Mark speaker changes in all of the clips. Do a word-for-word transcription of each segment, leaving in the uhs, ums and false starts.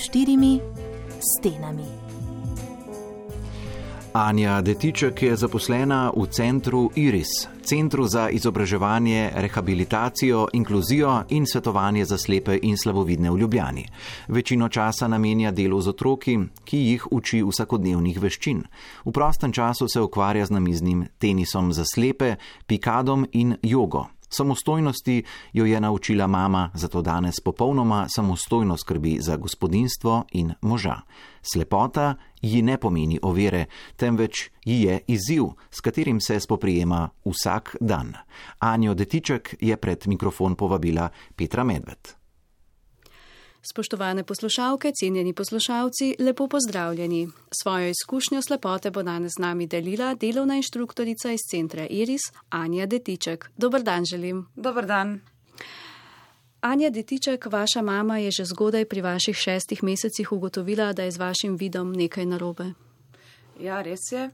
Speaker 1: štirimi stenami.
Speaker 2: Anja Detiček je zaposlena v centru Iris, centru za izobraževanje, rehabilitacijo, inkluzijo in svetovanje za slepe in slabovidne v Ljubljani. Večino časa namenja delu z otroki, ki jih uči vsakodnevnih veščin. V prostem času se ukvarja z namiznim tenisom za slepe, pikadom in jogo. Samostojnosti jo je naučila mama, zato danes popolnoma samostojno skrbi za gospodinjstvo in moža. Slepota ji ne pomeni ovire, temveč ji je izziv, s katerim se spoprijema vsak dan. Anjo Detiček je pred mikrofon povabila Petra Medved.
Speaker 3: Spoštovane poslušalke, cenjeni poslušalci, lepo pozdravljeni. Svojo izkušnjo slepote bo danes z nami delila delovna inštruktorica iz centra Iris, Anja Detiček. Dober dan želim.
Speaker 4: Dober dan.
Speaker 3: Anja Detiček, vaša mama je že zgodaj pri vaših šestih mesecih ugotovila, da je z vašim vidom nekaj narobe.
Speaker 4: Ja, res je.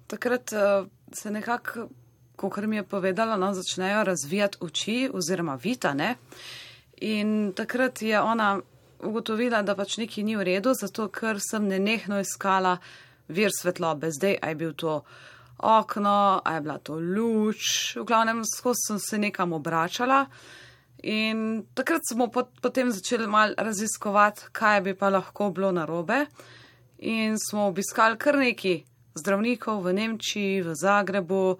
Speaker 4: Takrat uh, se nekako, kakor mi je povedala, no, začnejo razvijati oči oziroma vita, ne? In takrat je ona ugotovila, da pač nekaj ni v redu, zato ker sem nenehno iskala vir svetlobe. Zdaj, a je bil to okno, a je bila to luč, v glavnem skozi sem se nekam obračala in takrat smo pot, potem začeli mal raziskovati, kaj bi pa lahko bilo narobe in smo obiskali kar nekaj zdravnikov v Nemčiji, v Zagrebu.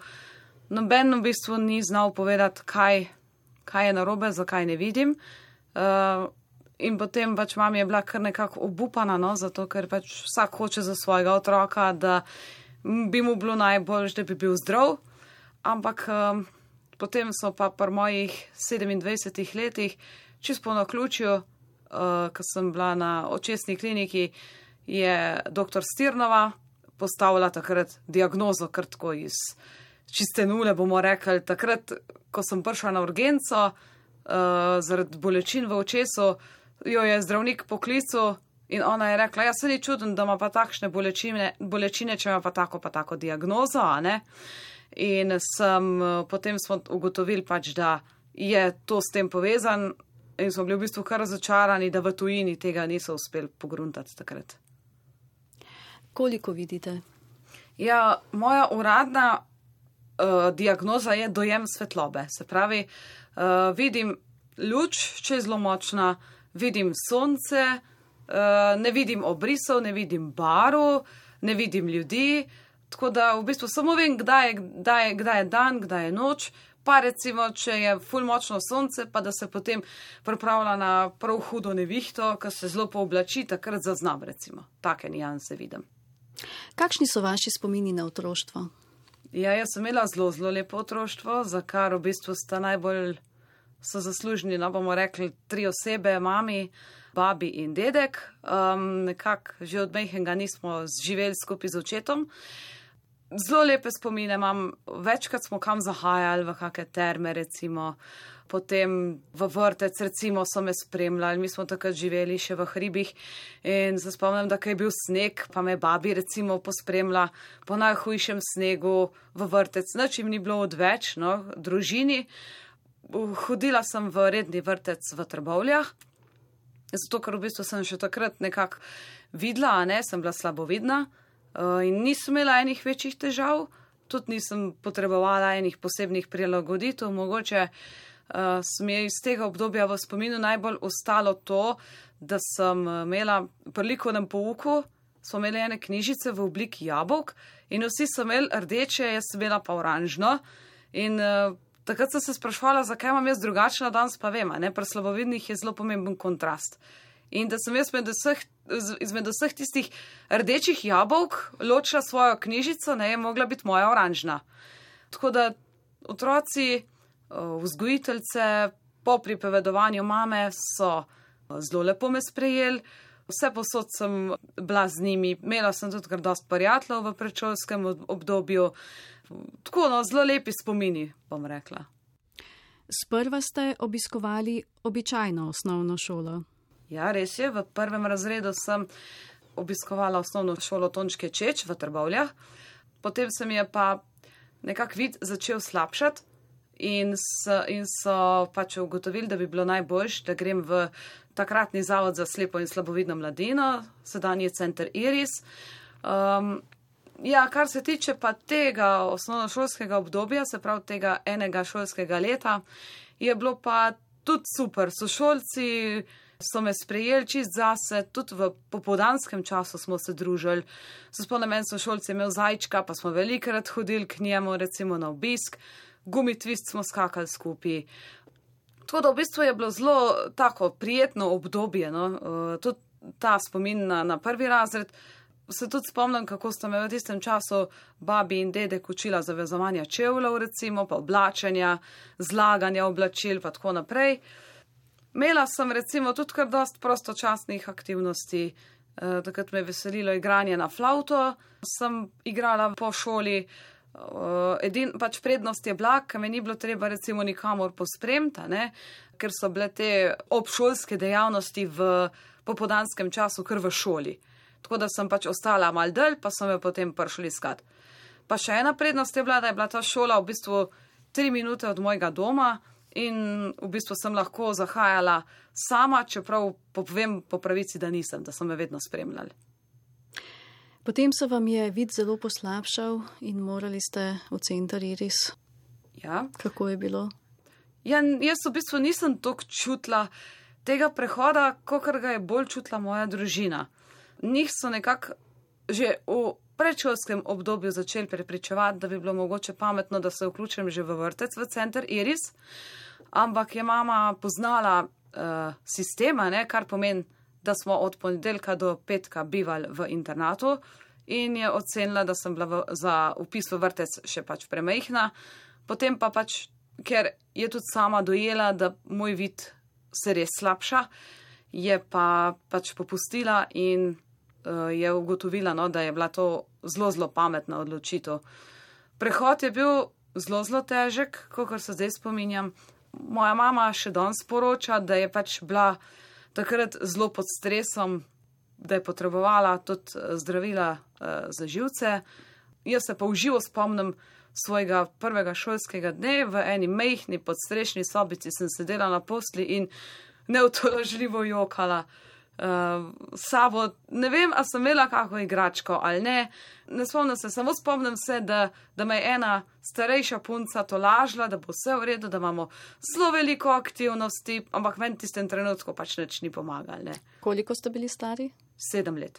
Speaker 4: Noben v bistvu ni znal povedati, kaj, kaj je narobe, zakaj ne vidim. Uh, In potem pač mami je bila kar nekako obupana, no, zato ker pač vsak hoče za svojega otroka, da bi mu bilo najbolj, da bi bil zdrav. Ampak um, potem so pa pri mojih sedemindvajsetih letih, čisto po naključju, uh, ko sem bila na očesni kliniki, je doktor Stirnova postavila takrat diagnozo kar tako iz čiste nule, bomo rekli. Takrat, ko sem prišla na urgenco, uh, zaradi bolečin v očesu, jo je zdravnik poklical in ona je rekla, ja, se ni čuden, da ima pa takšne bolečine, bolečine, če ima pa tako pa tako diagnozo, a ne? In sem, potem smo ugotovili pač, da je to s tem povezan in smo bili v bistvu kar razočarani, da v tujini tega niso uspeli pogruntati takrat.
Speaker 3: Koliko vidite?
Speaker 4: Ja, moja uradna uh, diagnoza je dojem svetlobe. Se pravi, uh, vidim luč, če je zelo močna, vidim sonce, ne vidim obrisov, ne vidim barv, ne vidim ljudi, tako da v bistvu samo vem, kdaj je, kdaj je, kdaj je dan, kdaj je noč, pa recimo, če je ful močno sonce, pa da se potem pripravlja na prav hudo nevihto, ko se zelo pooblači, takrat zaznam recimo. Take nijanse vidim.
Speaker 3: Kakšni so vaši spomini na otroštvo?
Speaker 4: Ja, jaz sem imela zelo, zelo lepo otroštvo, za kar v bistvu sta najbolj so zaslužni, no bomo rekli, tri osebe, mami, babi in dedek. Um, nekako že od majhnega nismo živeli skupaj z očetom. Zelo lepe spomine imam, večkrat smo kam zahajali, v kakšne terme recimo, potem v vrtec recimo so me spremljali, mi smo takrat živeli še v hribih in se spomnim, da ko je bil sneg, pa me babi recimo pospremlja po najhujšem snegu v vrtec. Nič jim ni bilo odveč, no, družini. Hodila sem v redni vrtec v Trbovljah, zato ker v bistvu sem še takrat nekako videla, a ne, sem bila slabovidna in nisem imela enih večjih težav, tudi nisem potrebovala enih posebnih prilagoditev. Mogoče uh, sem je iz tega obdobja v spominu najbolj ostalo to, da sem imela pri likovnem pouku, smo imeli ene knjižice v obliki jabolk in vsi so imeli rdeče, jaz sem imela pa oranžno in uh, takrat sem se sprašvala, zakaj imam jaz drugačna, danes pa vem, ne, pri slabovidnih je zelo pomemben kontrast. In da sem jaz med vseh, izmed vseh tistih rdečih jabolk ločila svojo knjižico, ne, je mogla biti moja oranžna. Tako da otroci, vzgojiteljce, po pripovedovanju mame so zelo lepo me sprejeli, vse posod sem bila z njimi, imela sem tudi kar dosti prijateljev v predšolskem obdobju. Tako, no, zelo lepi spomini, bom rekla.
Speaker 3: Sprva ste obiskovali običajno osnovno šolo.
Speaker 4: Ja, res je, v prvem razredu sem obiskovala osnovno šolo Tončke Čeč v Trbovljah. Potem se mi je pa nekak vid začel slabšati in so, in so pač ugotovili, da bi bilo najboljš, da grem v takratni zavod za slepo in slabovidno mladino, sedanji center Iris. Um, ja, kar se tiče pa tega osnovnošolskega obdobja, se pravi tega enega šolskega leta, je bilo pa tudi super. Sošolci so me sprejeli čist zase, tudi v popoldanskem času smo se družili. Se spomnim, en sošolci je imel zajčka, pa smo velikrat hodili k njemu, recimo na obisk, gumitvist smo skakali skupaj. Tako da v bistvu je bilo zelo tako prijetno obdobje, no? Uh, tudi ta spomin na, na prvi razred. Se tudi spomnim, kako sta me v tistem času babi in dedek učila zavezovanja čevljev, recimo, pa oblačenja, zlaganja oblačil, pa tako naprej. Imela sem recimo tudi kar dost prostočasnih aktivnosti. E, takrat me je veselilo igranje na flavto, sem igrala po šoli. E, edin, pač prednost je bila, ker me ni bilo treba recimo nikamor pospremta, ne? Ker so bile te obšolske dejavnosti v popoldanskem času kar v šoli. Tako da sem pač ostala mal dalj, pa sem jo potem prišli iskat. Pa še ena prednost je bila, da je bila ta šola v bistvu tri minute od mojega doma in v bistvu sem lahko zahajala sama, čeprav povem po pravici, da nisem, da so me vedno spremljali.
Speaker 3: Potem se vam je vid zelo poslabšal in morali ste v center Iris.
Speaker 4: Ja.
Speaker 3: Kako je bilo?
Speaker 4: Ja, jaz v bistvu nisem toliko čutila tega prehoda, kakor ga je bolj čutila moja družina. Njih so nekako že v predšolskem obdobju začeli prepričevati, da bi bilo mogoče pametno, da se vključim že v vrtec, v center Iris, ampak je mama poznala uh, sistema, ne, kar pomeni, da smo od ponedeljka do petka bivali v internatu in je ocenila, da sem bila v, za vpis v vrtec še pač premejhna. Potem pa pač, ker je tudi sama dojela, da moj vid se res slabša, je pa pač popustila in je ugotovila, no, da je bila to zelo, zelo pametna odločitev. Prehod je bil zelo, zelo težek, kakor se zdaj spominjam. Moja mama še danes poroča, da je pač bila takrat zelo pod stresom, da je potrebovala tudi zdravila uh, za živce. Jaz se pa v živo spomnim svojega prvega šolskega dne, v eni mejhni podstrešni sobici sem sedela na posli in neutolažljivo jokala. Uh, sabo, ne vem, a sem imela kako igračko ali ne, ne spomnim se, samo spomnim se, da, da me je ena starejša punca tolažila, da bo vse v redu, da imamo zelo veliko aktivnosti, ampak meni tistem trenutku pač nič ni pomagal, ne.
Speaker 3: Koliko ste bili stari?
Speaker 4: Sedem let.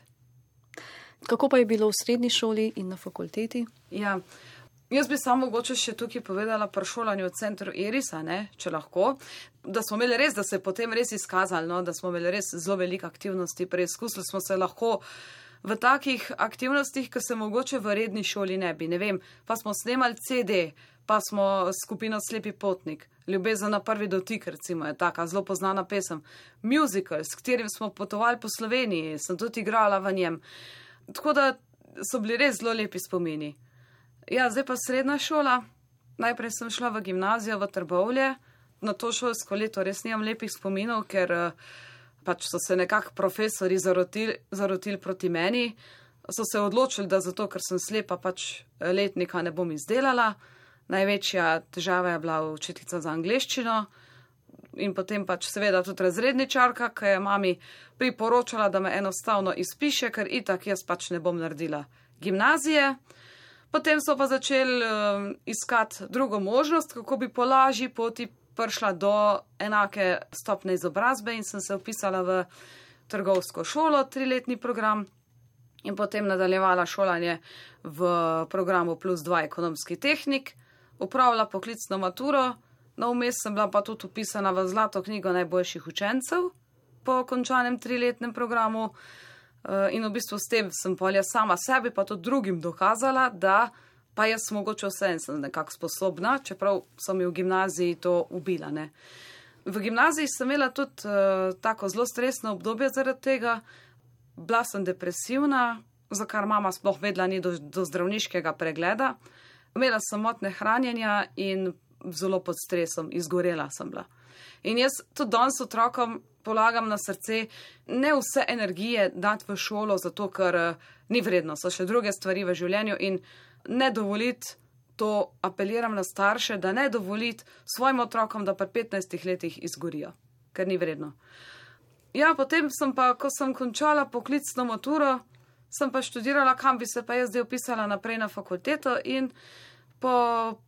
Speaker 3: Kako pa je bilo v srednji šoli in na fakulteti?
Speaker 4: Ja, jaz bi samo mogoče še tukaj povedala pri šolanju v centru Irisa, ne, če lahko, da smo imeli res, da se je potem res izkazali, no, da smo imeli res zelo veliko aktivnosti, preizkusili smo se lahko v takih aktivnostih, ki se mogoče v redni šoli ne bi, ne vem, pa smo snemali C D, pa smo skupino Slepi potnik, Ljubezen na prvi dotik, recimo, je taka zelo poznana pesem, musical, s katerim smo potovali po Sloveniji, sem tudi igrala v njem, tako da so bili res zelo lepi spomini. Ja, zdaj pa srednja šola. Najprej sem šla v gimnazijo v Trbovlje. Na to šolsko leto res nimam lepih spominov, ker pač so se nekako profesori zarotili, zarotili proti meni. So se odločili, da zato, ker sem slepa, pač letnika ne bom izdelala. Največja težava je bila učiteljica za angleščino in potem pač seveda tudi razredničarka, ki je mami priporočala, da me enostavno izpiše, ker itak jaz pač ne bom naredila gimnazije. Potem so pa začeli um, iskati drugo možnost, kako bi po lažji poti prišla do enake stopne izobrazbe in sem se vpisala v trgovsko šolo, triletni program in potem nadaljevala šolanje v programu plus dva ekonomski tehnik, upravila poklicno maturo, no vmes sem bila pa tudi vpisana v zlato knjigo najboljših učencev po končanem triletnem programu. In v bistvu s tem sem polja sama sebi, pa tudi drugim dokazala, da pa jaz mogoče vse sem nekako sposobna, čeprav so mi v gimnaziji to ubila, ne. V gimnaziji sem imela tudi uh, tako zelo stresno obdobje zaradi tega, bila sem depresivna, za kar mama sploh vedela ni do, do zdravniškega pregleda, imela sem motnje hranjenja in zelo pod stresom, izgorela sem bila. In jaz tudi danes otrokom polagam na srce, ne vse energije dati v šolo, zato ker uh, ni vredno, so še druge stvari v življenju in ne dovoliti to apeliram na starše, da ne dovoliti svojim otrokom, da pri petnajstih letih izgorijo, ker ni vredno. Ja, potem sem pa, ko sem končala poklicno maturo, sem pa študirala, kam bi se pa jaz zdaj upisala naprej na fakulteto in po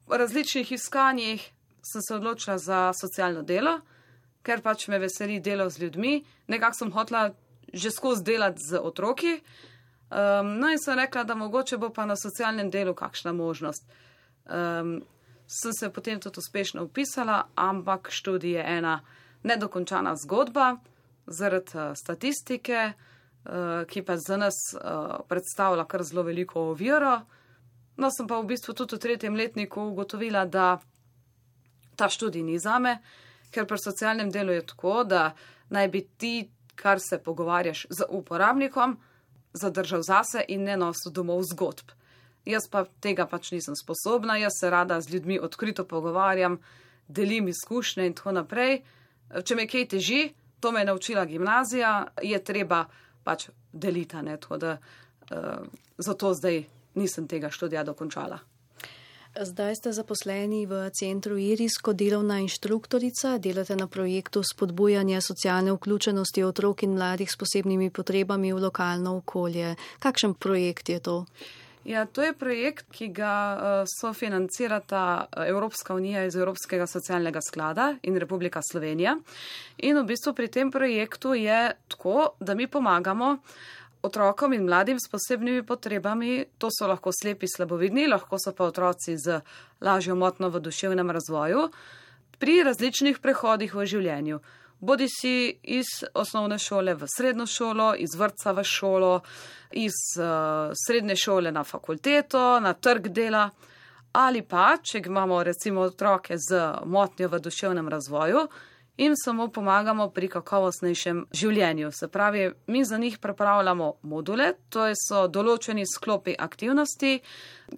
Speaker 4: različnih iskanjih sem se odločila za socialno delo, ker pač me veseli delo z ljudmi. Nekako sem hotela že skozi delati z otroki. Um, no in sem rekla, da mogoče bo pa na socialnem delu kakšna možnost. Um, sem se potem tudi uspešno upisala, ampak študij je ena nedokončana zgodba zaradi uh, statistike, uh, ki pa za nas uh, predstavlja kar zelo veliko oviro. No, sem pa v bistvu tudi v tretjem letniku ugotovila, da ta študij ni zame, ker pri socialnem delu je tako, da naj bi ti, kar se pogovarjaš z uporabnikom, zadržal zase in ne nosil domov zgodb. Jaz pa tega pač nisem sposobna, jaz se rada z ljudmi odkrito pogovarjam, delim izkušnje in tako naprej. Če me kaj teži, to me je naučila gimnazija, je treba pač deliti, ne, tako da uh, zato zdaj nisem tega študija dokončala.
Speaker 3: Zdaj ste zaposleni v centru Iris kot delovna inštruktorica, delate na projektu spodbujanja socialne vključenosti otrok in mladih s posebnimi potrebami v lokalno okolje. Kakšen projekt je to?
Speaker 4: Ja, to je projekt, ki ga uh, sofinancirata Evropska unija iz Evropskega socialnega sklada in Republika Slovenija. In v bistvu pri tem projektu je tako, da mi pomagamo otrokom in mladim s posebnimi potrebami, to so lahko slepi slabovidni, lahko so pa otroci z lažjo motnjo v duševnem razvoju, pri različnih prehodih v življenju. Bodi si iz osnovne šole v srednjo šolo, iz vrtca v šolo, iz uh, srednje šole na fakulteto, na trg dela, ali pa, če imamo recimo otroke z motnjo v duševnem razvoju, in samo pomagamo pri kakovostnejšem življenju. Se pravi, mi za njih pripravljamo module, to so določeni sklopi aktivnosti,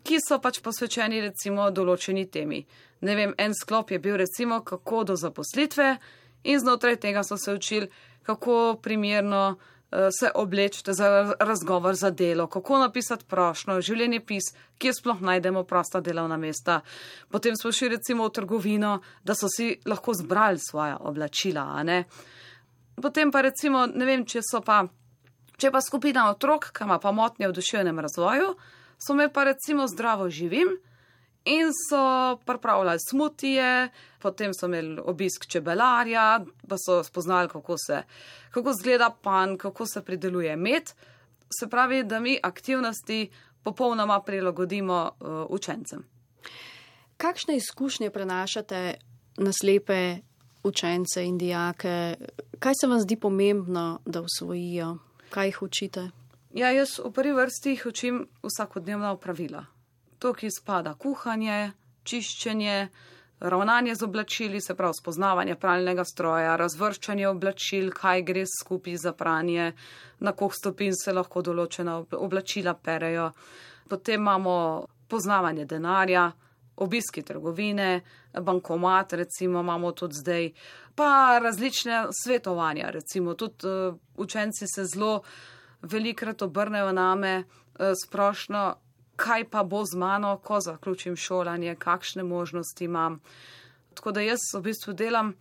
Speaker 4: ki so pač posvečeni recimo določeni temi. Ne vem, en sklop je bil recimo kako do zaposlitve in znotraj tega so se učili, kako primerno uh, se obleči za razgovor za delo, kako napisati prošnjo, življenjepis, kje sploh najdemo prosta delovna mesta. Potem smo šli recimo v trgovino, da so si lahko zbrali svoja oblačila, a ne. Potem pa recimo, ne vem, če so pa, če pa skupina otrok, ki ima pa motnje v duševnem razvoju, so me pa recimo zdravo živim in so pripravljali smutije, potem so imeli obisk čebelarja, pa so spoznali, kako se, kako zgleda pan, kako se prideluje med. Se pravi, da mi aktivnosti popolnoma prilagodimo uh, učencem.
Speaker 3: Kakšne izkušnje prenašate na slepe učence in dijake? Kaj se vam zdi pomembno, da usvojijo? Kaj jih učite?
Speaker 4: Ja, jaz v prvi vrsti jih učim vsakodnevna opravila. To, ki spada kuhanje, čiščenje, ravnanje z oblačili, se pravi spoznavanje pralnega stroja, razvrščanje oblačil, kaj gre skupaj za pranje, na koliko stopinj se lahko določena oblačila perejo. Potem imamo poznavanje denarja, obiski trgovine, bankomat, recimo imamo tudi zdaj, pa različne svetovanja, recimo tudi uh, učenci se zelo velikrat obrnejo name uh, sprošno, kaj pa bo z mano, ko zaključim šolanje, kakšne možnosti imam. Tako da jaz v bistvu delam,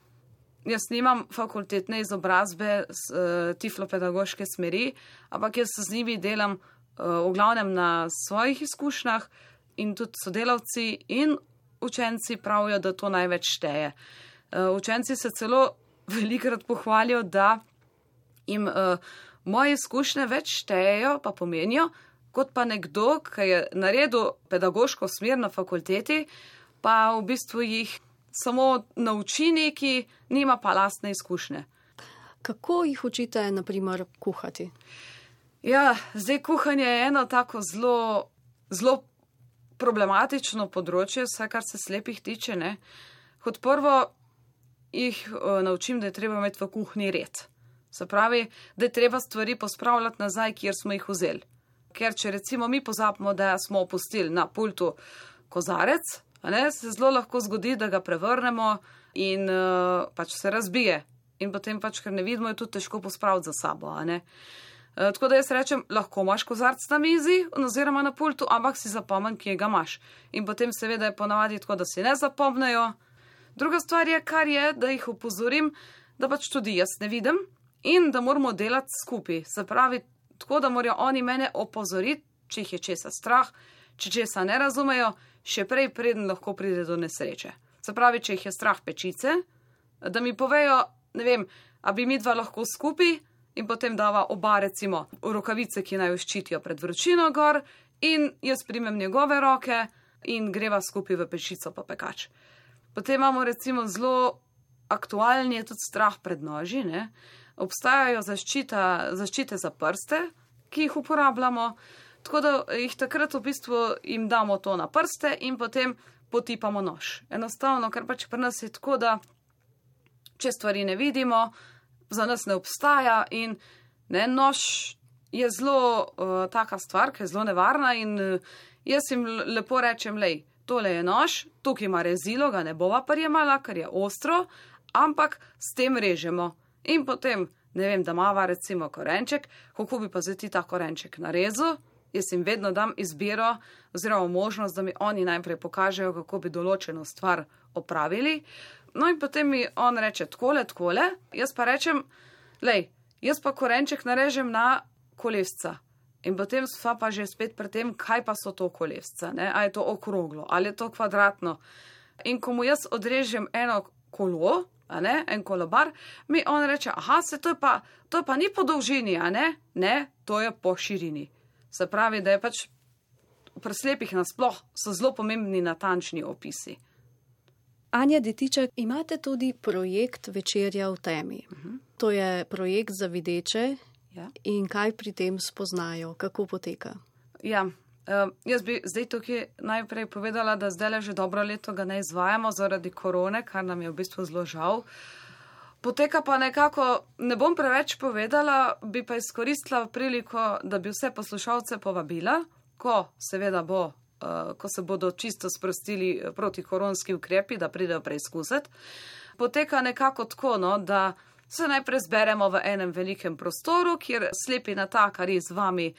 Speaker 4: jaz nimam fakultetne izobrazbe z uh, tiflopedagoške smeri, ampak jaz z njimi delam uh, v glavnem na svojih izkušnjah in tudi sodelavci in učenci pravijo, da to največ šteje. Uh, učenci se celo velikrat pohvalijo, da jim uh, moje izkušnje več štejejo, pa pomenijo, kot pa nekdo, ki je naredil pedagoško smer na fakulteti, pa v bistvu jih samo nauči neki, nima pa lastne izkušnje.
Speaker 3: Kako jih učite, na primer, kuhati?
Speaker 4: Ja, zdaj kuhanje je eno tako zelo, zelo problematično področje, vsaj kar se slepih tiče, ne. Kot prvo jih uh, naučim, da je treba imeti v kuhinji red. Se pravi, da je treba stvari pospravljati nazaj, kjer smo jih vzeli. Ker če recimo mi pozabimo, da smo opustili na pultu kozarec, ne, se zelo lahko zgodi, da ga prevrnemo in uh, pač se razbije. In potem pač, ker ne vidimo, je tudi težko pospraviti za sabo. A ne. E, tako da jaz rečem, lahko imaš kozarc na mizi oziroma na pultu, ampak si zapomni, kje ga imaš. In potem seveda je ponavadi tako, da si ne zapomnejo. Druga stvar je, kar je, da jih opozorim, da pač tudi jaz ne vidim in da moramo delati skupaj. Se pravi, tako da morajo oni mene opozoriti, če jih je česa strah, če česa ne razumejo, še prej preden lahko pride do nesreče. Se pravi, če jih je strah pečice, da mi povejo, ne vem, a bi mi dva lahko skupaj in potem dava oba recimo rokavice, ki naj jo ščitijo pred vročino gor in jaz primem njegove roke in greva skupaj v pečico pa pekač. Potem imamo recimo zelo aktualni je tudi strah pred noži, ne? Obstajajo zaščita, zaščite za prste, ki jih uporabljamo, tako da jih takrat v bistvu jim damo to na prste in potem potipamo nož. Enostavno, ker pač pri nas je tako, da če stvari ne vidimo, za nas ne obstaja in ne, nož je zelo uh, taka stvar, ki je zelo nevarna in uh, jaz jim lepo rečem, lej, tole je nož, tukaj ima rezilo, ga ne bova prijemala, ker je ostro, ampak s tem režemo. In potem, ne vem, da mava recimo korenček, kako bi pa zdaj ti ta korenček narezal, jaz jim vedno dam izbiro oziroma možnost, da mi oni najprej pokažejo, kako bi določeno stvar opravili. No in potem mi on reče tkole, tkole, jaz pa rečem, lej, jaz pa korenček narežem na kolesca. In potem sva pa že spet pri tem, kaj pa so to kolesca, ne? A je to okroglo, ali je to kvadratno. In ko mu jaz odrežem eno kolo, a ne, en kolobar, mi on reče, aha, se to je pa, to je pa ni po dolžini, a ne? Ne, to je po širini. Se pravi, da je pač pri slepih nasploh so zelo pomembni natančni opisi.
Speaker 3: Anja Detičak, imate tudi projekt Večerja v temi. Uh-huh. To je projekt za videče. Ja. In kaj pri tem spoznajo, kako poteka?
Speaker 4: Ja, uh, jaz bi zdaj tukaj najprej povedala, da zdaj že dobro leto ga ne izvajamo zaradi korone, kar nam je v bistvu zelo žal. Poteka pa nekako, ne bom preveč povedala, bi pa izkoristila priliko, da bi vse poslušalce povabila, ko seveda bo, uh, ko se bodo čisto sprostili protikoronski ukrepi, da pridejo preizkusiti. Poteka nekako tako, no, da se najprej zberemo v enem velikem prostoru, kjer slepi natakari z vami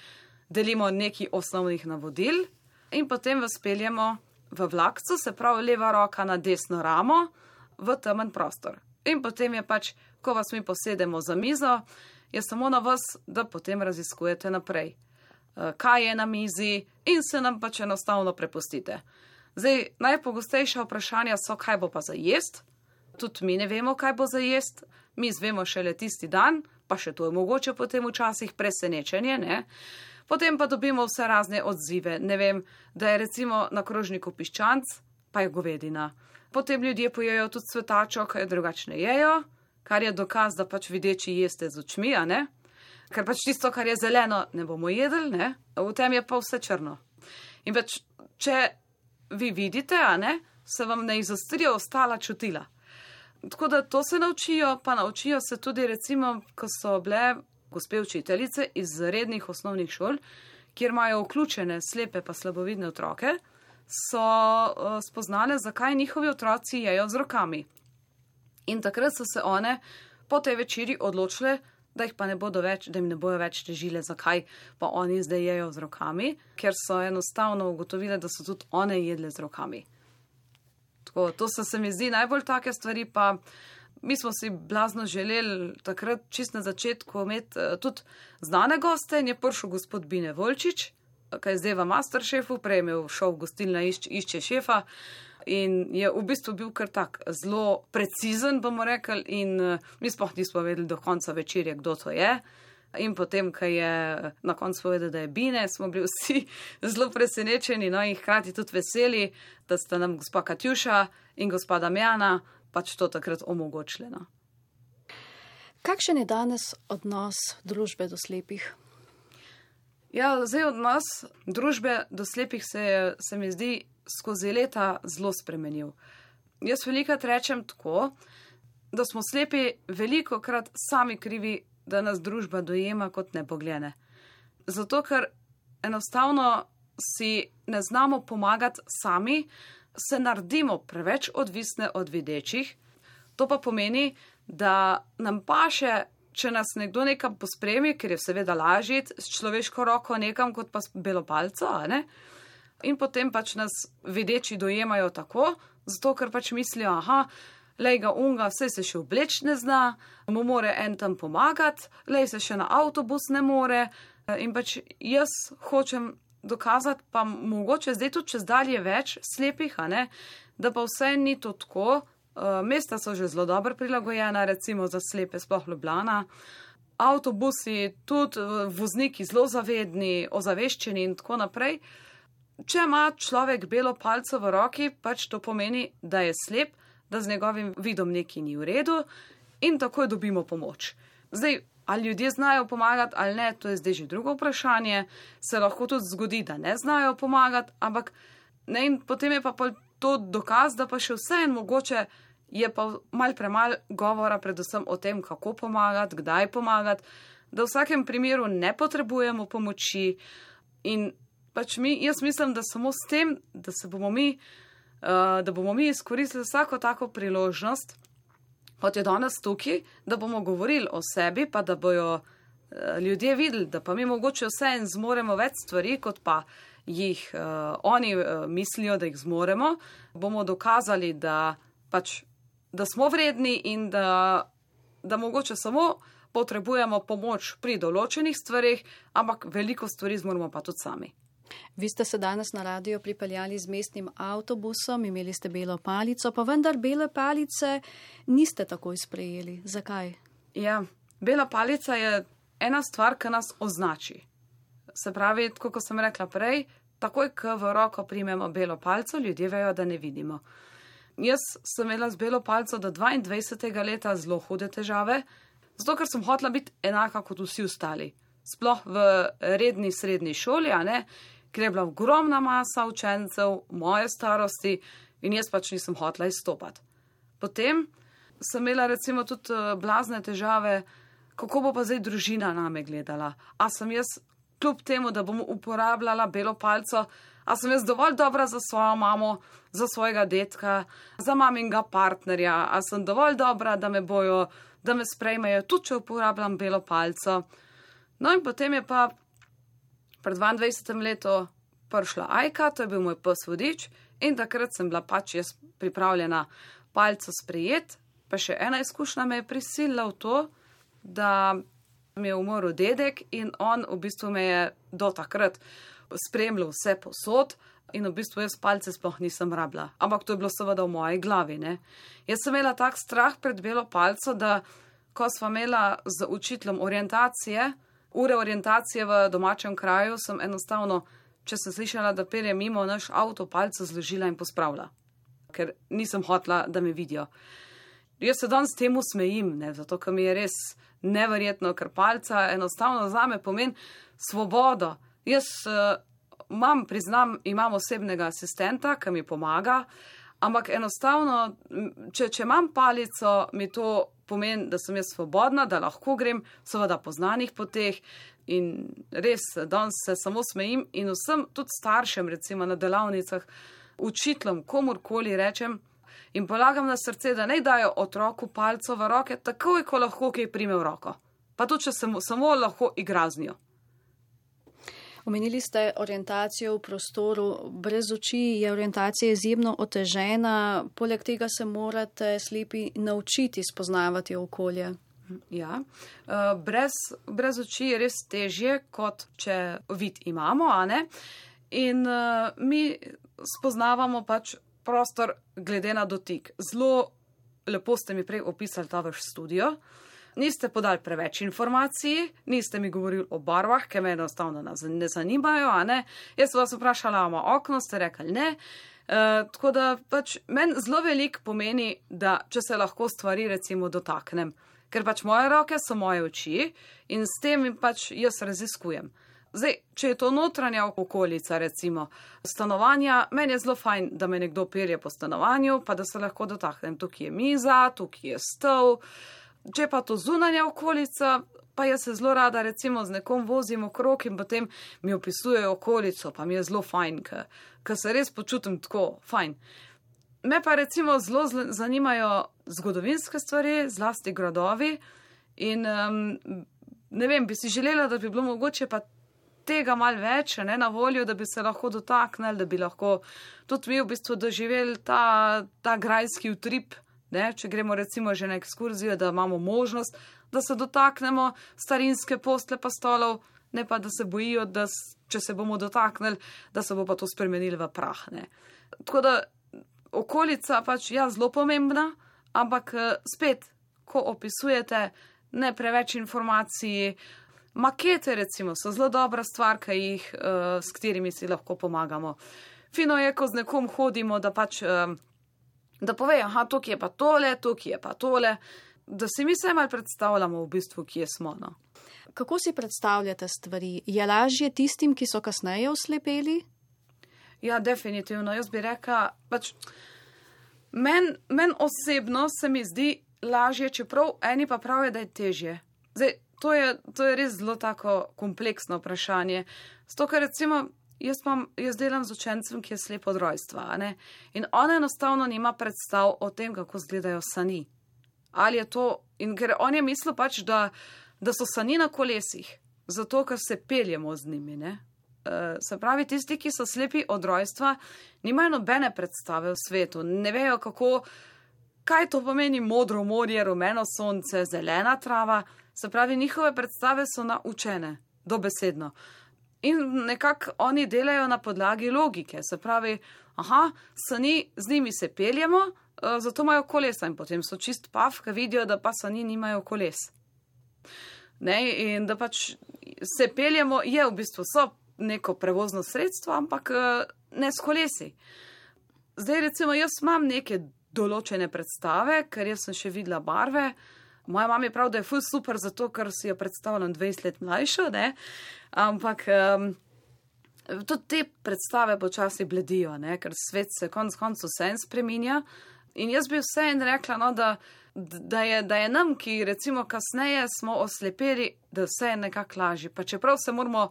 Speaker 4: delimo nekaj osnovnih navodil in potem vas peljemo v vlakcu, se pravi leva roka na desno ramo, v temen prostor. In potem je pač, ko vas mi posedemo za mizo, je samo na vas, da potem raziskujete naprej, kaj je na mizi in se nam pač enostavno prepustite. Zdaj, najpogostejša vprašanja so, kaj bo pa za jest. Tudi mi ne vemo, kaj bo za jest. Mi zvemo šele tisti dan, pa še to je mogoče potem včasih presenečenje, ne? Potem pa dobimo vse razne odzive. Ne vem, da je recimo na krožniku piščanc, pa je govedina. Potem ljudje pojejo tudi cvetačo, kaj drugačne jejo, kar je dokaz, da pač videči jeste z očmi, a ne? Ker pač tisto, kar je zeleno, ne bomo jedli, ne? V tem je pa vse črno. In pač, če vi vidite, a ne, se vam ne izostrijo ostala čutila. Tako da to se naučijo, pa naučijo se tudi recimo, ko so bile gospe učiteljice iz rednih osnovnih šol, kjer imajo vključene slepe pa slabovidne otroke, so uh, spoznale, zakaj njihovi otroci jejo z rokami. In takrat so se one po tej večeri odločile, da jih pa ne bodo več, da jim ne bojo več težile, zakaj pa oni zdaj jejo z rokami, ker so enostavno ugotovile, da so tudi one jedle z rokami. Tako, to so se mi zdi najbolj take stvari, pa mi smo si blazno želeli takrat čist na začetku imeti uh, tudi znane goste in je prišel gospod Bine Volčič, kaj je zdaj v Masterchefu, prej je imel šov gostilna išč, išče šefa in je v bistvu bil kar tak zelo precizen, bomo rekli, in uh, mi sploh nismo vedeli do konca večerje, kdo to je. In potem, ko je na koncu povedal, da je Bine, smo bili vsi zelo presenečeni, no in hkrati tudi veseli, da sta nam gospa Katjuša in gospa Damjana pač to takrat omogočili. No.
Speaker 3: Kakšen je danes odnos družbe do slepih?
Speaker 4: Ja, zdaj odnos družbe do slepih se, je, se mi zdi skozi leta zelo spremenil. Jaz velikokrat rečem tako, da smo slepi velikokrat sami krivi, da nas družba dojema kot nepogljene. Zato, ker enostavno si ne znamo pomagati sami, se naredimo preveč odvisne od videčih. To pa pomeni, da nam paše če nas nekdo nekam pospremi, ker je seveda lažje s človeško roko nekam, kot pa s belo palco, a ne? In potem pač nas videči dojemajo tako, zato ker pač mislijo, aha, lej ga unga, vse se še obleč ne zna, mu more en tam pomagati, lej se še na avtobus ne more. In pač jaz hočem dokazati, pa mogoče zdaj tudi čez dalje več slepih, a ne, da pa vse ni to tako. Mesta so že zelo dobro prilagojena, recimo za slepe, sploh Ljubljana. Avtobusi, tudi vozniki zelo zavedni, ozaveščeni in tako naprej. Če ima človek belo palco v roki, pač to pomeni, da je slep, da z njegovim vidom nekaj ni v redu in takoj dobimo pomoč. Zdaj, ali ljudje znajo pomagati ali ne, to je zdaj že drugo vprašanje. Se lahko tudi zgodi, da ne znajo pomagati, ampak ne, in potem je pa to dokaz, da pa še vse en mogoče je pa mal premal govora predvsem o tem, kako pomagati, kdaj pomagati, da v vsakem primeru ne potrebujemo pomoči in pač mi, jaz mislim, da samo s tem, da se bomo mi, uh, da bomo mi izkoristili vsako tako priložnost, kot je danes tukaj, da bomo govorili o sebi, pa da bojo uh, ljudje videli, da pa mi mogoče vse en zmoremo več stvari, kot pa jih uh, oni uh, mislijo, da jih zmoremo, bomo dokazali, da pač, da smo vredni in da, da mogoče samo potrebujemo pomoč pri določenih stvarih, ampak veliko stvari zmoremo pa tudi sami.
Speaker 3: Vi ste se danes na radio pripeljali z mestnim avtobusom, imeli ste belo palico, pa vendar bele palice niste takoj sprejeli. Zakaj?
Speaker 4: Ja, bela palica je ena stvar, ki nas označi. Se pravi, tako kot sem rekla prej, takoj, ko v roko primemo belo palco, ljudje vejo, da ne vidimo. Jaz sem imela z belo palco do dvaindvajsetega leta zelo hude težave, zato ker sem hotela biti enaka kot vsi ostali. Sploh v redni srednji šoli, a ne, ker je bila ogromna masa učencev moje starosti in jaz pač nisem hotela izstopati. Potem sem imela recimo tudi blazne težave, kako bo pa zdaj družina name gledala. A sem jaz, kljub temu, da bom uporabljala belo palco, a sem jaz dovolj dobra za svojo mamo, za svojega dedka, za maminga partnerja, a sem dovolj dobra, da me bojo, da me sprejmejo, tudi če uporabljam belo palco. No in potem je pa pred dvaindvajsetim letu prišla Ajka, to je bil moj pes vodič in takrat sem bila pač jaz pripravljena palco sprejeti, pa še ena izkušnja me je prisilila v to, da mi je umrl dedek in on v bistvu me je do takrat spremljal vse posod in v bistvu jaz palce sploh nisem rabila. Ampak to je bilo seveda v moji glavi, ne. Jaz sem imela tak strah pred belo palco, da ko sva imela z učiteljem orientacije, ure orientacije v domačem kraju, sem enostavno, če sem slišala, da pelje mimo, naš avto palco zložila in pospravila, ker nisem hotela, da me vidijo. Jaz se danes temu smejim, ne, zato, ker mi je res neverjetno, ker palca enostavno zame pomeni svobodo. Jaz uh, imam, priznam, imam osebnega asistenta, ki mi pomaga, ampak enostavno, če, če imam palico, mi to pomeni, da sem jaz svobodna, da lahko grem seveda po znanih poteh in res danes se samo smejim in vsem tudi staršem recimo na delavnicah, učiteljem, komurkoli rečem in polagam na srce, da ne dajo otroku palco v roke, takoj, ko lahko kaj prime v roko. Pa tudi, če se samo lahko igra z njo.
Speaker 3: Omenili ste orientacijo v prostoru. Brez oči je orientacija izjemno otežena, poleg tega se morate slepi naučiti spoznavati okolje.
Speaker 4: Ja, brez, brez oči je res težje, kot če vid imamo, a ne? In uh, mi spoznavamo pač prostor glede na dotik. Zelo lepo ste mi prej opisali ta vaš studio. Niste podali preveč informacij, niste mi govorili o barvah, ki me enostavno ne zanimajo, a ne. Jaz sem vas vprašala, ima okno, ste rekli ne. Uh, tako da pač meni zelo veliko pomeni, da če se lahko stvari recimo dotaknem. Ker pač moje roke so moje oči in s tem pač jaz raziskujem. Zdaj, če je to notranja okolica, recimo stanovanja, meni je zelo fajn, da me nekdo pelje po stanovanju, pa da se lahko dotaknem. Tukaj je miza, tukaj je stol. Če pa to zunanja okolica, pa jaz se zelo rada recimo z nekom vozim okrog in potem mi opisujejo okolico, pa mi je zelo fajn, ker se res počutim tako fajn. Me pa recimo zelo zanimajo zgodovinske stvari, zlasti gradovi In um, ne vem, bi si želela, da bi bilo mogoče pa tega mal več, ne, na voljo, da bi se lahko dotaknili, da bi lahko tudi mi v bistvu doživeli ta, ta grajski utrip, ne, če gremo recimo že na ekskurzijo, da imamo možnost, da se dotaknemo starinske postle pa stolov, ne pa da se bojijo, da če se bomo dotaknili, da se bo pa to spremenilo v prah. Ne. Tako da okolica pač ja zelo pomembna, ampak spet, ko opisujete, ne preveč informacij, makete recimo so zelo dobra stvar, ki jih, uh, s katerimi si lahko pomagamo. Fino je, ko z nekom hodimo, da pač, uh, da povejo, aha, tukaj je pa tole, tukaj je pa tole, da si mi se malo predstavljamo v bistvu, kje smo. No.
Speaker 3: Kako si predstavljate stvari? Je lažje tistim, ki so kasneje oslepeli?
Speaker 4: Ja, definitivno. Jaz bi rekla, pač, meni men osebno se mi zdi lažje, čeprav eni pa pravijo, da je težje. Zdaj, to je, to je res zelo tako kompleksno vprašanje. Zato, ker recimo, jaz, mam, jaz delam z učencem, ki je slep od rojstva, ne? In ona enostavno nima predstav o tem, kako izgledajo sani. Ali je to, in ker on je mislil pač, da, da so sani na kolesih, zato, ker se peljemo z njimi, ne? Uh, se pravi, tisti, ki so slepi od rojstva, nimajo nobene predstave v svetu, ne vejo, kako, kaj to pomeni modro morje, rumeno sonce, zelena trava, se pravi, njihove predstave so naučene, dobesedno. In nekako oni delajo na podlagi logike, se pravi, aha, sani, z njimi se peljemo, uh, zato imajo kolesa in potem so čist pav, ki vidijo, da pa sani nimajo koles. Ne, in da pač se peljemo, je v bistvu so neko prevozno sredstvo, ampak ne s kolesi. Zdaj recimo jaz imam neke določene predstave, ker jaz sem še videla barve. Moja mama je prav, da je ful super zato, ker si jo predstavljam dvajset let mlajšo, ne? Ampak um, tudi te predstave počasi bledijo, ne? Ker svet se konc koncu vse en spreminja. In jaz bi vse en rekla, no, da, da, je, da je nam, ki recimo kasneje smo oslepeli, da vse je nekako lažje. Pa čeprav se moramo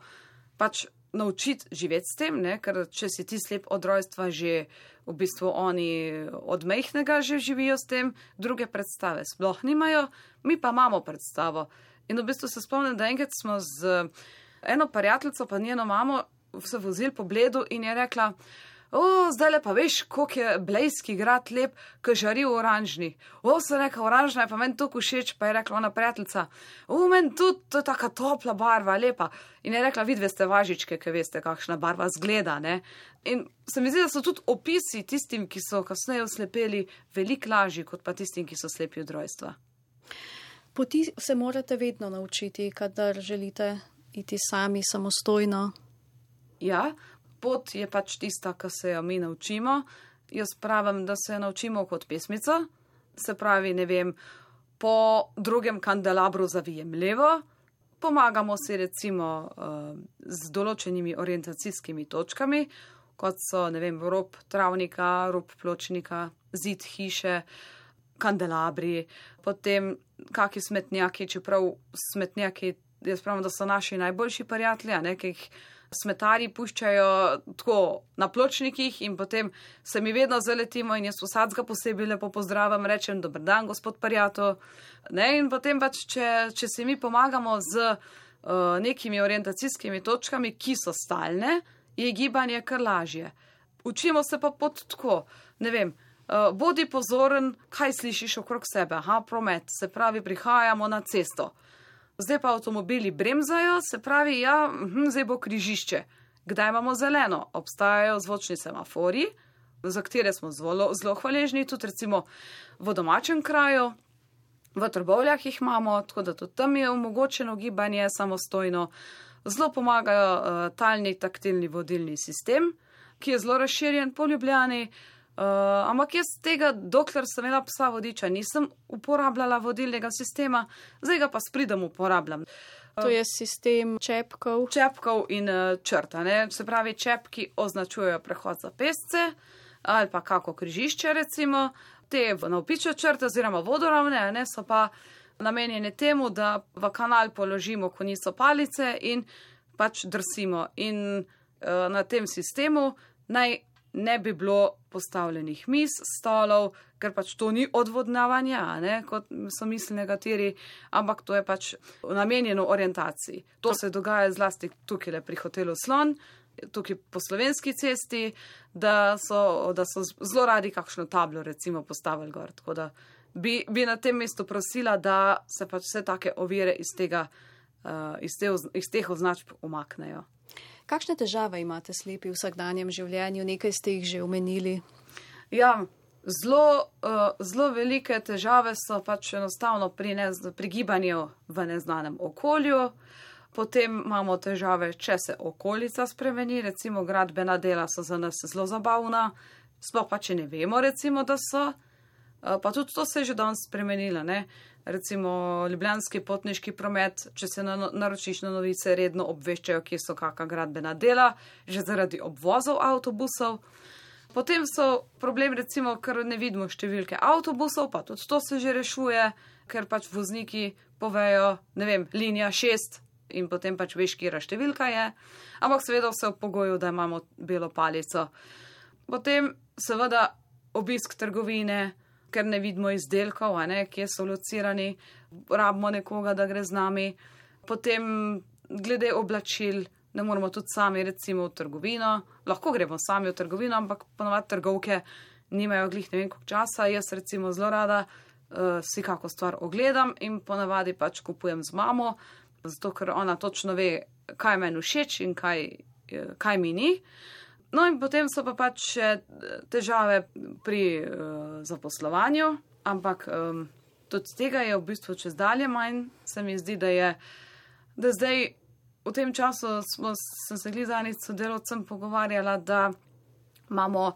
Speaker 4: pač naučiti živeti s tem, ne? Ker če si ti slep od rojstva, že v bistvu oni od mejhnega že živijo s tem, druge predstave sploh nimajo, mi pa imamo predstavo. In v bistvu se spomnim, da enkrat smo z eno prijateljico pa njeno mamo se vozili po Bledu in je rekla, o, zdaj le pa veš, koliko je blejski grad lep, ko žari v oranžni. O, se reka, oranžna je pa meni toliko všeč, pa je rekla ona prijateljica, o, meni tudi, to je taka topla barva, lepa. In je rekla, vidve ste važičke, ki veste, kakšna barva zgleda, ne. In se mi zdi, da so tudi opisi tistim, ki so kasneje oslepeli, veliko lažji, kot pa tistim, ki so slepi od rojstva.
Speaker 3: Poti se morate vedno naučiti, kadar želite iti sami samostojno.
Speaker 4: Ja, pot je pač tista, ki se jo mi naučimo. Jaz pravim, da se naučimo kot pesmica. Se pravi, ne vem, po drugem kandelabru zavijem levo, pomagamo si recimo uh, z določenimi orientacijskimi točkami, kot so, ne vem, rob travnika, rob pločnika, zid hiše, kandelabri, potem kaki smetnjaki, čeprav smetnjaki, jaz pravim, da so naši najboljši prijatelji, ne, ki jih smetarji puščajo tako na pločnikih in potem se mi vedno zaletimo in jaz vsadzga posebej lepo pozdravim, rečem, dober dan, gospod Parjato. Ne, in potem pač, če, če si mi pomagamo z uh, nekimi orientacijskimi točkami, ki so stalne, je gibanje kar lažje. Učimo se pa pot tako, ne vem, uh, bodi pozoren, kaj slišiš okrog sebe, aha, promet, se pravi, prihajamo na cesto. Zdaj pa avtomobili bremzajo, se pravi, ja, hm, zdaj bo križišče. Kdaj imamo zeleno? Obstajajo zvočni semafori, za katere smo zelo, zelo hvaležni, tudi recimo v domačem kraju, v Trbovljah jih imamo, tako da tudi tam je omogočeno gibanje samostojno. Zelo pomagajo uh, talni taktilni vodilni sistem, ki je zelo razširjen po Ljubljani. Uh, ampak jaz tega, dokler sem imela psa vodiča, nisem uporabljala vodilnega sistema, zdaj ga pa s pridom uporabljam. Uh,
Speaker 3: to je sistem čepkov.
Speaker 4: Čepkov in uh, črta, ne? Se pravi, čepki označujejo prehod za pešce ali pa kako križišče recimo, te navpične črte oziroma vodoravne, ne, so pa namenjene temu, da v kanal položimo konico palice in pač drsimo. In uh, na tem sistemu naj ne bi bilo postavljenih miz, stolov, ker pač to ni odvodnjavanje, ne, kot so mislili nekateri, ampak to je pač namenjeno orientaciji. To se dogaja zlasti tukaj pri hotelu Slon, tukaj po Slovenski cesti, da so, da so zelo radi kakšno tablo recimo postavili gor. Tako da bi, bi na tem mestu prosila, da se pač vse take ovire iz, tega, uh, iz, te, iz teh označb umaknejo.
Speaker 3: Kakšne težave imate slepi v vsakdanjem življenju? Nekaj ste jih že omenili.
Speaker 4: Ja, zelo, uh, zelo velike težave so pač enostavno pri, ne, pri gibanju v neznanem okolju. Potem imamo težave, če se okolica spremeni, recimo gradbena dela so za nas zelo zabavna, sploh pa če ne vemo, recimo, da so. Uh, pa tudi to se je že danes spremenilo, ne. Recimo ljubljanski potniški promet, če se na, naročiš na novice, redno obveščajo, kje so kakšna gradbena dela, že zaradi obvozov avtobusov. Potem so problem, recimo, ker ne vidimo številke avtobusov, pa tudi to se že rešuje, ker pač vozniki povejo, ne vem, linija šest in potem pač veš, kjera številka je, ampak seveda vse v pogoju, da imamo belo palico. Potem seveda obisk trgovine, ker ne vidimo izdelkov, a ne, kje so locirani, rabimo nekoga, da gre z nami. Potem glede oblačil, ne moramo tudi sami recimo v trgovino, lahko gremo sami v trgovino, ampak ponovadi trgovke nimajo glih ne vem koliko časa. Jaz recimo zelo rada uh, si kako stvar ogledam in ponavadi pač kupujem z mamo, zato ker ona točno ve, kaj meni všeč in kaj, kaj mi ni. No in potem so pa pač še težave pri uh, zaposlovanju, ampak um, tudi tega je v bistvu čez dalje manj. Se mi zdi, da je, da zdaj v tem času smo, sem se glizanic sodelovcem pogovarjala, da imamo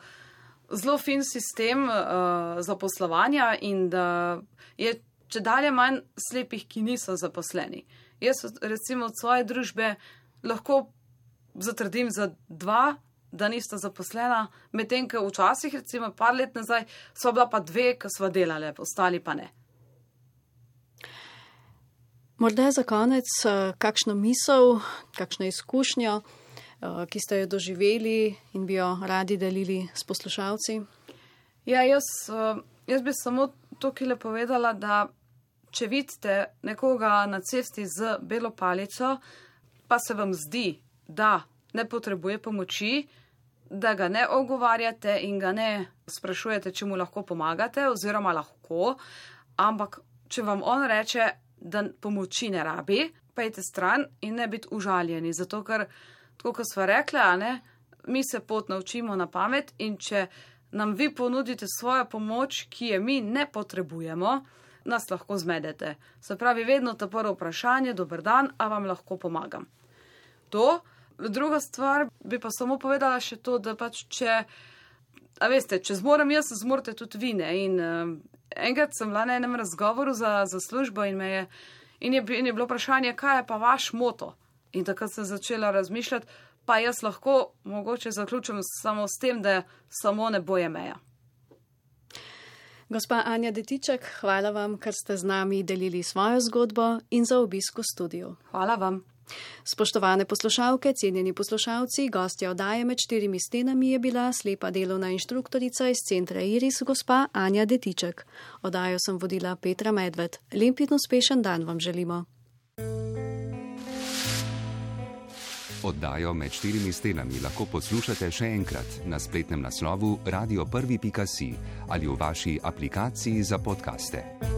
Speaker 4: zelo fin sistem uh, zaposlovanja in da je če dalje manj slepih, ki niso zaposleni. Jaz recimo od svoje družbe lahko zatrdim za dva, da nista zaposlena, medtem, ko včasih, recimo par let nazaj, so bila pa dve, ki sva delale, ostali pa ne.
Speaker 3: Morda za konec kakšno misel, kakšno izkušnjo, ki ste jo doživeli in bi jo radi delili s poslušalci?
Speaker 4: Ja, jaz, jaz bi samo tukaj povedala, da če vidite nekoga na cesti z belo palico, pa se vam zdi, da ne potrebuje pomoči, da ga ne ogovarjate in ga ne sprašujete, če mu lahko pomagate, oziroma lahko, ampak če vam on reče, da pomoči ne rabi, pejte stran in ne biti užaljeni, zato ker, tako kot sva rekla, ne, mi se pot naučimo na pamet in če nam vi ponudite svojo pomoč, ki je mi ne potrebujemo, nas lahko zmedete. Se pravi, vedno ta prvo vprašanje, dober dan, a vam lahko pomagam. To. Druga stvar bi pa samo povedala še to, da pač če, a veste, če zmorem jaz, zmorite tudi vi, ne, in uh, enkrat sem bila na enem razgovoru za, za službo in me je, in je, in je bilo vprašanje, kaj je pa vaš moto? In takrat sem začela razmišljati, pa jaz lahko mogoče zaključim samo s tem, da samo nebo je meja.
Speaker 3: Gospa Anja Detiček, hvala vam, ker ste z nami delili svojo zgodbo in za obisk v studiu.
Speaker 4: Hvala vam.
Speaker 3: Spoštovane poslušalke, cenjeni poslušalci, gostja oddaje Med štirimi stenami je bila slepa delovna inštruktorica iz centra Iris, gospa Anja Detiček. Oddajo sem vodila Petra Medved. Lep in uspešen dan vam želimo.
Speaker 5: Oddajo Med štirimi stenami lahko poslušate še enkrat na spletnem naslovu radio prvi pika si ali v vaši aplikaciji za podcaste.